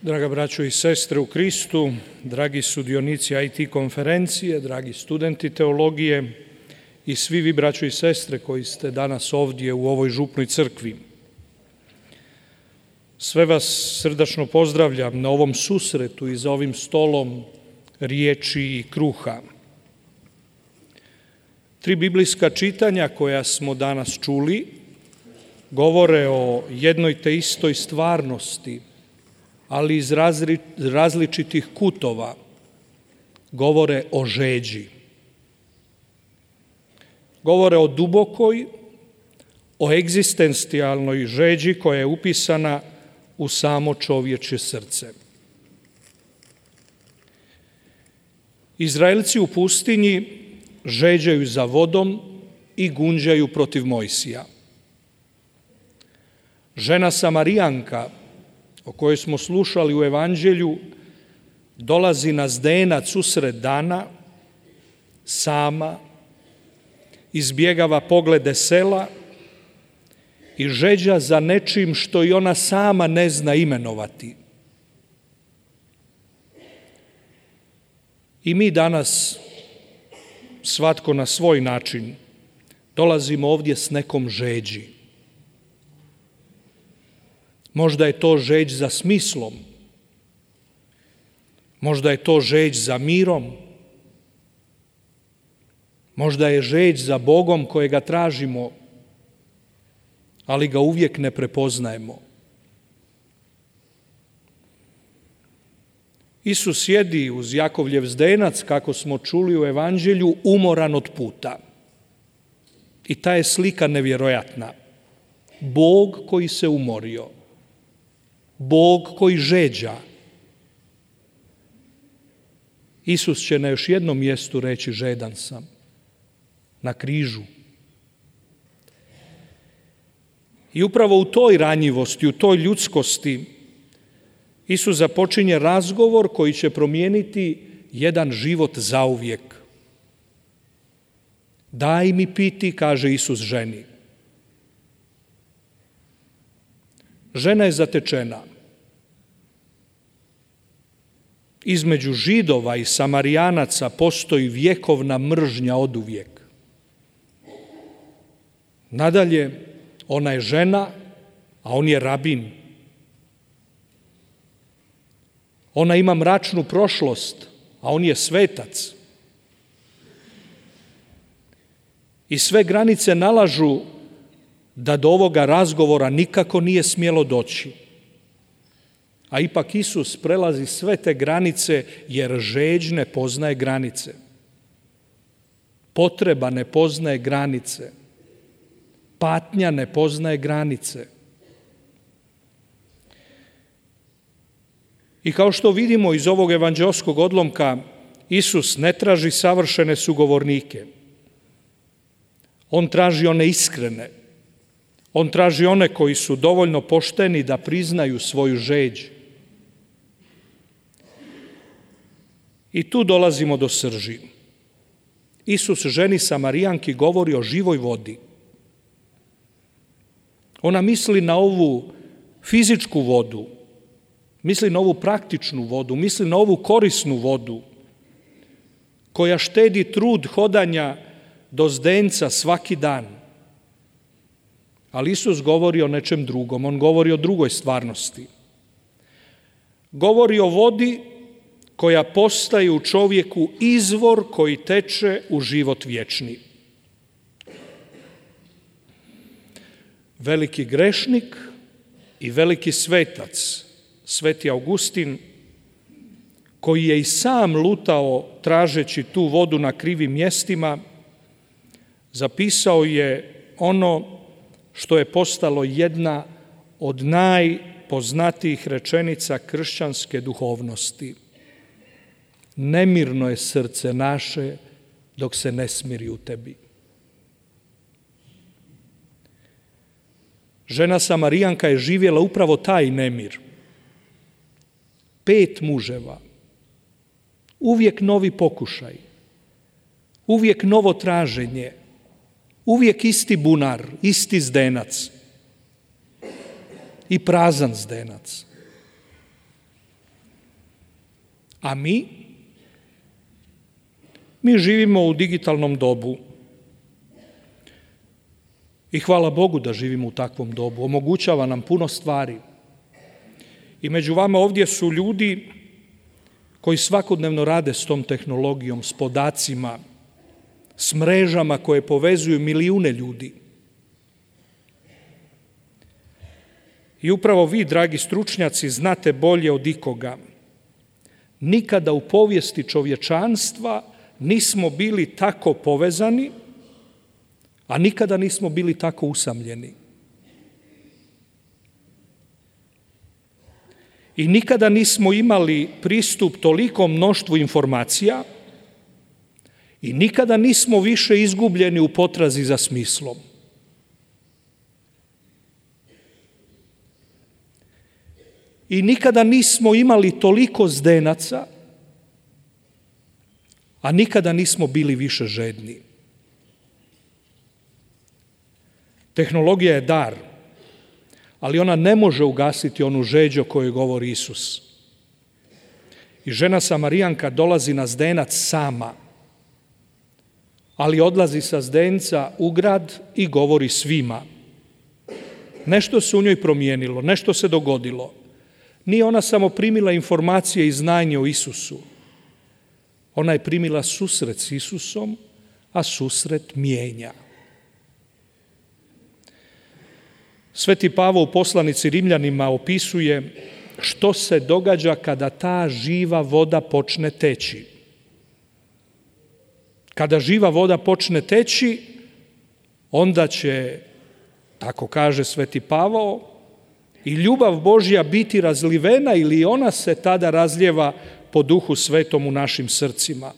Draga braćo i sestre u Kristu, dragi sudionici IT konferencije, dragi studenti teologije i svi vi braćo i sestre koji ste danas ovdje u ovoj župnoj crkvi. Sve vas srdačno pozdravljam na ovom susretu i za ovim stolom riječi i kruha. 3 biblijska čitanja koja smo danas čuli govore o jednoj te istoj stvarnosti, ali iz različitih kutova, govore o žeđi. Govore o dubokoj, o egzistencijalnoj žeđi koja je upisana u samo čovječje srce. Izraelci u pustinji žeđaju za vodom i gunđaju protiv Mojsija. Žena Samarijanka, o kojoj smo slušali u Evanđelju, dolazi na zdenac usred dana, sama, izbjegava poglede sela i žeđa za nečim što i ona sama ne zna imenovati. I mi danas, svatko na svoj način, dolazimo ovdje s nekom žeđi. Možda je to žeđ za smislom, možda je to žeđ za mirom, možda je žeđ za Bogom kojega tražimo, ali ga uvijek ne prepoznajemo. Isus sjedi uz Jakovljev zdenac, kako smo čuli u Evanđelju, umoran od puta. I ta je slika nevjerojatna. Bog koji se umorio, Bog koji žeđa. Isus će na još jednom mjestu reći žedan sam, na križu. I upravo u toj ranjivosti, u toj ljudskosti, Isus započinje razgovor koji će promijeniti jedan život zauvijek. Daj mi piti, kaže Isus ženi. Žena je zatečena. Između Židova i Samarijanaca postoji vjekovna mržnja oduvijek. Nadalje, ona je žena, a on je rabin. Ona ima mračnu prošlost, a on je svetac. I sve granice nalažu da do ovoga razgovora nikako nije smjelo doći. A ipak Isus prelazi sve te granice jer žeđ ne poznaje granice. Potreba ne poznaje granice. Patnja ne poznaje granice. I kao što vidimo iz ovog evanđeoskog odlomka, Isus ne traži savršene sugovornike. On traži one iskrene. On traži one koji su dovoljno pošteni da priznaju svoju žeđ. I tu dolazimo do srži. Isus ženi Samarijanki govori o živoj vodi. Ona misli na ovu fizičku vodu, misli na ovu praktičnu vodu, misli na ovu korisnu vodu koja štedi trud hodanja do zdenca svaki dan. Ali Isus govori o nečem drugom, on govori o drugoj stvarnosti. Govori o vodi koja postaje u čovjeku izvor koji teče u život vječni. Veliki grešnik i veliki svetac, Sveti Augustin, koji je i sam lutao tražeći tu vodu na krivim mjestima, zapisao je ono što je postalo jedna od najpoznatijih rečenica kršćanske duhovnosti. Nemirno je srce naše dok se ne smiri u tebi. Žena Samarijanka je živjela upravo taj nemir. 5 muževa, uvijek novi pokušaj, uvijek novo traženje, uvijek isti bunar, isti zdenac. i prazan zdenac. A mi živimo u digitalnom dobu. I hvala Bogu da živimo u takvom dobu. Omogućava nam puno stvari. I među vama ovdje su ljudi koji svakodnevno rade s tom tehnologijom, s podacima, s mrežama koje povezuju milijune ljudi. I upravo vi, dragi stručnjaci, znate bolje od ikoga. Nikada u povijesti čovječanstva nismo bili tako povezani, a nikada nismo bili tako usamljeni. I nikada nismo imali pristup tolikom mnoštvu informacija i nikada nismo više izgubljeni u potrazi za smislom. I nikada nismo imali toliko zdenaca, a nikada nismo bili više žedni. Tehnologija je dar, ali ona ne može ugasiti onu žeđ o kojoj govori Isus. I žena Samarijanka dolazi na zdenac sama, ali odlazi sa zdenca u grad i govori svima. Nešto se u njoj promijenilo, nešto se dogodilo. Nije ona samo primila informacije i znanje o Isusu. Ona je primila susret s Isusom, a susret mijenja. Sveti Pavao u poslanici Rimljanima opisuje što se događa kada ta živa voda počne teći. Kada živa voda počne teći, onda će, tako kaže Sveti Pavao, i ljubav Božja biti razlivena ili ona se tada razlijeva po Duhu Svetom u našim srcima,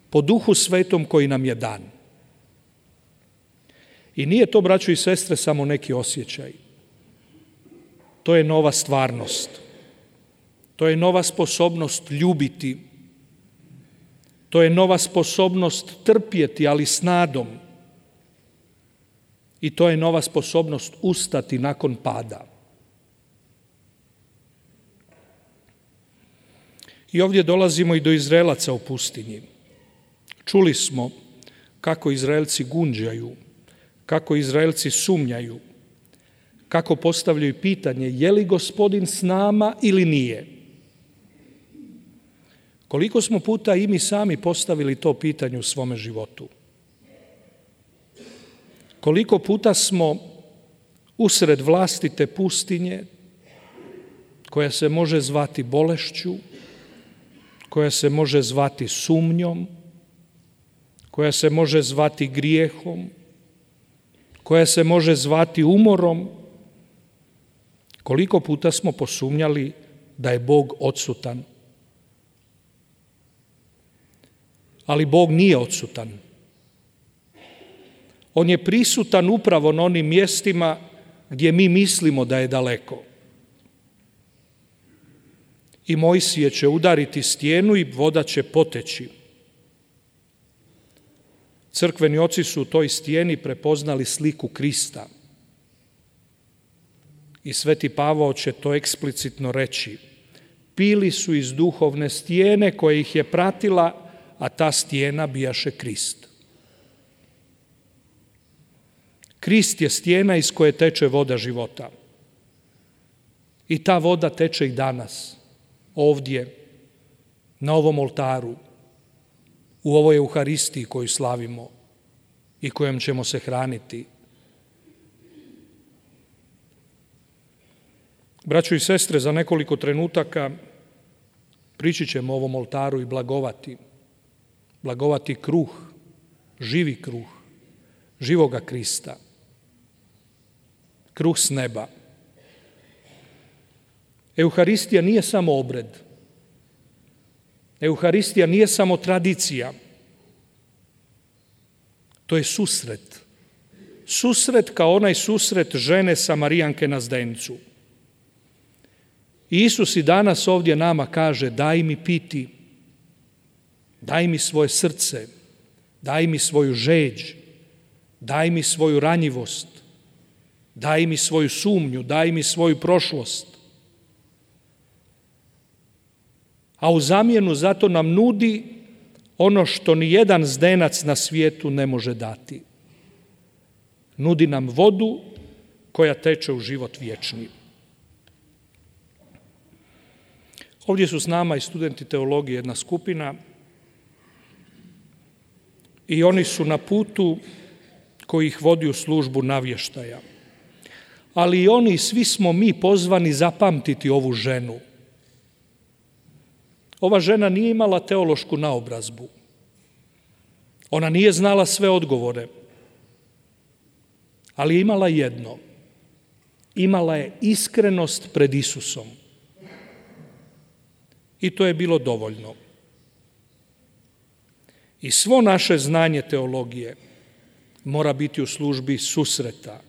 po Duhu Svetom koji nam je dan. I nije to, braćo i sestre, samo neki osjećaj. To je nova stvarnost. To je nova sposobnost ljubiti. To je nova sposobnost trpjeti, ali s nadom. I to je nova sposobnost ustati nakon pada. I ovdje dolazimo i do Izraelaca u pustinji. Čuli smo kako Izraelci gunđaju, kako Izraelci sumnjaju, kako postavljaju pitanje je li Gospodin s nama ili nije. Koliko smo puta i mi sami postavili to pitanje u svome životu? Koliko puta smo usred vlastite pustinje, koja se može zvati bolešću, koja se može zvati sumnjom, koja se može zvati grijehom, koja se može zvati umorom, koliko puta smo posumnjali da je Bog odsutan. Ali Bog nije odsutan. On je prisutan upravo na onim mjestima gdje mi mislimo da je daleko. I Mojsije će udariti stijenu i voda će poteći. Crkveni oci su u toj stijeni prepoznali sliku Krista. I Sveti Pavao će to eksplicitno reći. Pili su iz duhovne stijene koja ih je pratila, a ta stijena bijaše Krist. Krist je stijena iz koje teče voda života. I ta voda teče i danas, ovdje, na ovom oltaru, u ovoj Euharistiji koju slavimo i kojom ćemo se hraniti. Braćo i sestre, za nekoliko trenutaka prići ćemo o ovom oltaru i blagovati. Blagovati kruh, živi kruh, živoga Krista. Kruh s neba. Euharistija nije samo obred. Euharistija nije samo tradicija. To je susret. Susret kao onaj susret žene Samarijanke na zdencu. I Isus i danas ovdje nama kaže daj mi piti, daj mi svoje srce, daj mi svoju žeđ, daj mi svoju ranjivost, daj mi svoju sumnju, daj mi svoju prošlost. a u zamjenu zato nam nudi ono što ni jedan zdenac na svijetu ne može dati. Nudi nam vodu koja teče u život vječni. Ovdje su s nama i studenti teologije, jedna skupina, i oni su na putu koji ih vodi u službu navještaja. Ali i oni, svi smo mi pozvani zapamtiti ovu ženu. Ova žena nije imala teološku naobrazbu. Ona nije znala sve odgovore, ali je imala jedno. Imala je iskrenost pred Isusom. I to je bilo dovoljno. I svo naše znanje teologije mora biti u službi susreta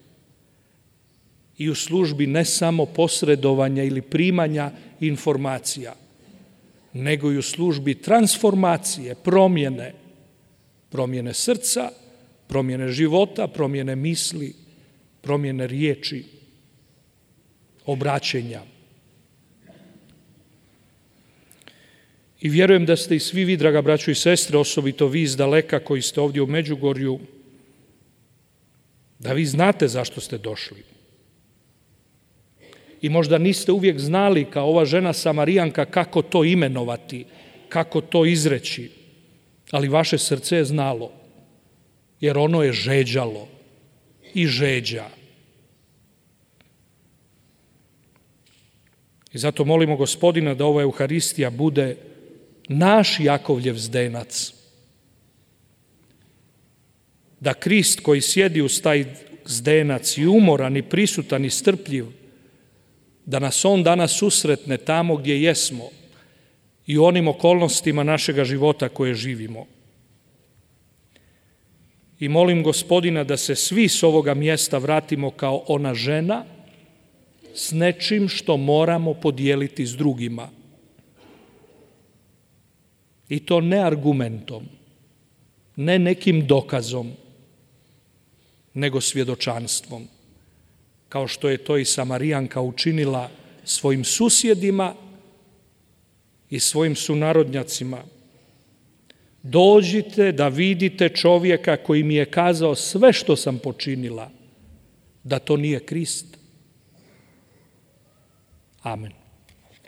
i u službi ne samo posredovanja ili primanja informacija, nego i u službi transformacije, promjene srca, promjene života, promjene misli, promjene riječi, obraćenja. I vjerujem da ste i svi vi, draga braćo i sestre, osobito vi iz daleka koji ste ovdje u Međugorju, da vi znate zašto ste došli. I možda niste uvijek znali, kao ova žena Samarijanka, kako to imenovati, kako to izreći, ali vaše srce je znalo, jer ono je žeđalo i žeđa. I zato molimo Gospodina da ova Euharistija bude naš Jakovljev zdenac, da Krist koji sjedi uz taj zdenac i umoran i prisutan i strpljiv, da nas on danas susretne tamo gdje jesmo i u onim okolnostima našega života koje živimo. I molim Gospodina da se svi s ovoga mjesta vratimo kao ona žena s nečim što moramo podijeliti s drugima. I to ne argumentom, ne nekim dokazom, nego svjedočanstvom, kao što je to i Samarijanka učinila svojim susjedima i svojim sunarodnjacima. Dođite da vidite čovjeka koji mi je kazao sve što sam počinila, da to nije Krist. Amen.